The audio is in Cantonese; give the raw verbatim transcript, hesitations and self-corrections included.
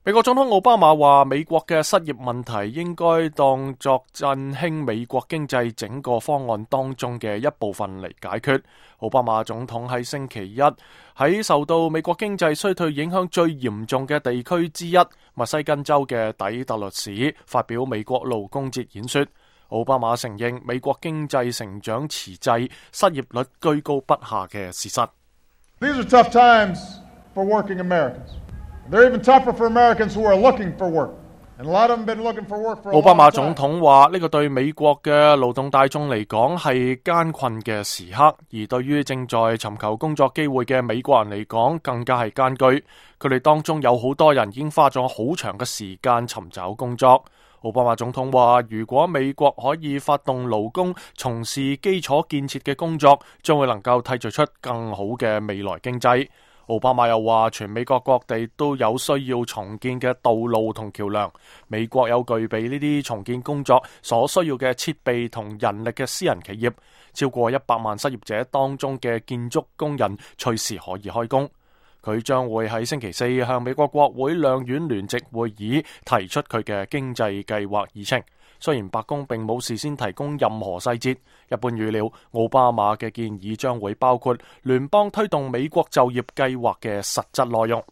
美國總統奧巴馬話，美國嘅失業問題應該當作振興美國經濟整個方案當中嘅一部分嚟解決。奧巴馬總統喺星期一喺受到美國經濟衰退影響最嚴重嘅地區之一密西根州嘅底特律市發表美國勞工節演說。奧巴馬承認美國經濟成長遲滯、失業率居高不下嘅事實。These are tough times for working Americans. They're even tougher for Americans who are looking for work. And a lot of them been looking for work for a long time. 奧巴馬總統話呢個對美國嘅勞動大眾嚟講係艱困嘅時刻，而對於正在尋求工作機會嘅美國人嚟講更加係艱巨。佢哋當中有好多人已經花咗好長嘅時間尋找工作。奧巴馬總統話，如果美國可以發動勞工從事基礎建設嘅工作，將會能夠締造出更好嘅未來經濟。奧巴馬又話，全美國各地都有需要重建嘅道路同橋樑，美國有具備呢啲重建工作所需要嘅設備同人力嘅私人企業，超過一百萬失業者當中嘅建築工人隨時可以開工。佢將會喺星期四向美國國會兩院聯席會議提出佢嘅經濟計劃議程。雖然白宮並冇事先提供任何細節，一般預料奧巴馬嘅建議將會包括聯邦推動美國就業計劃嘅實質內容。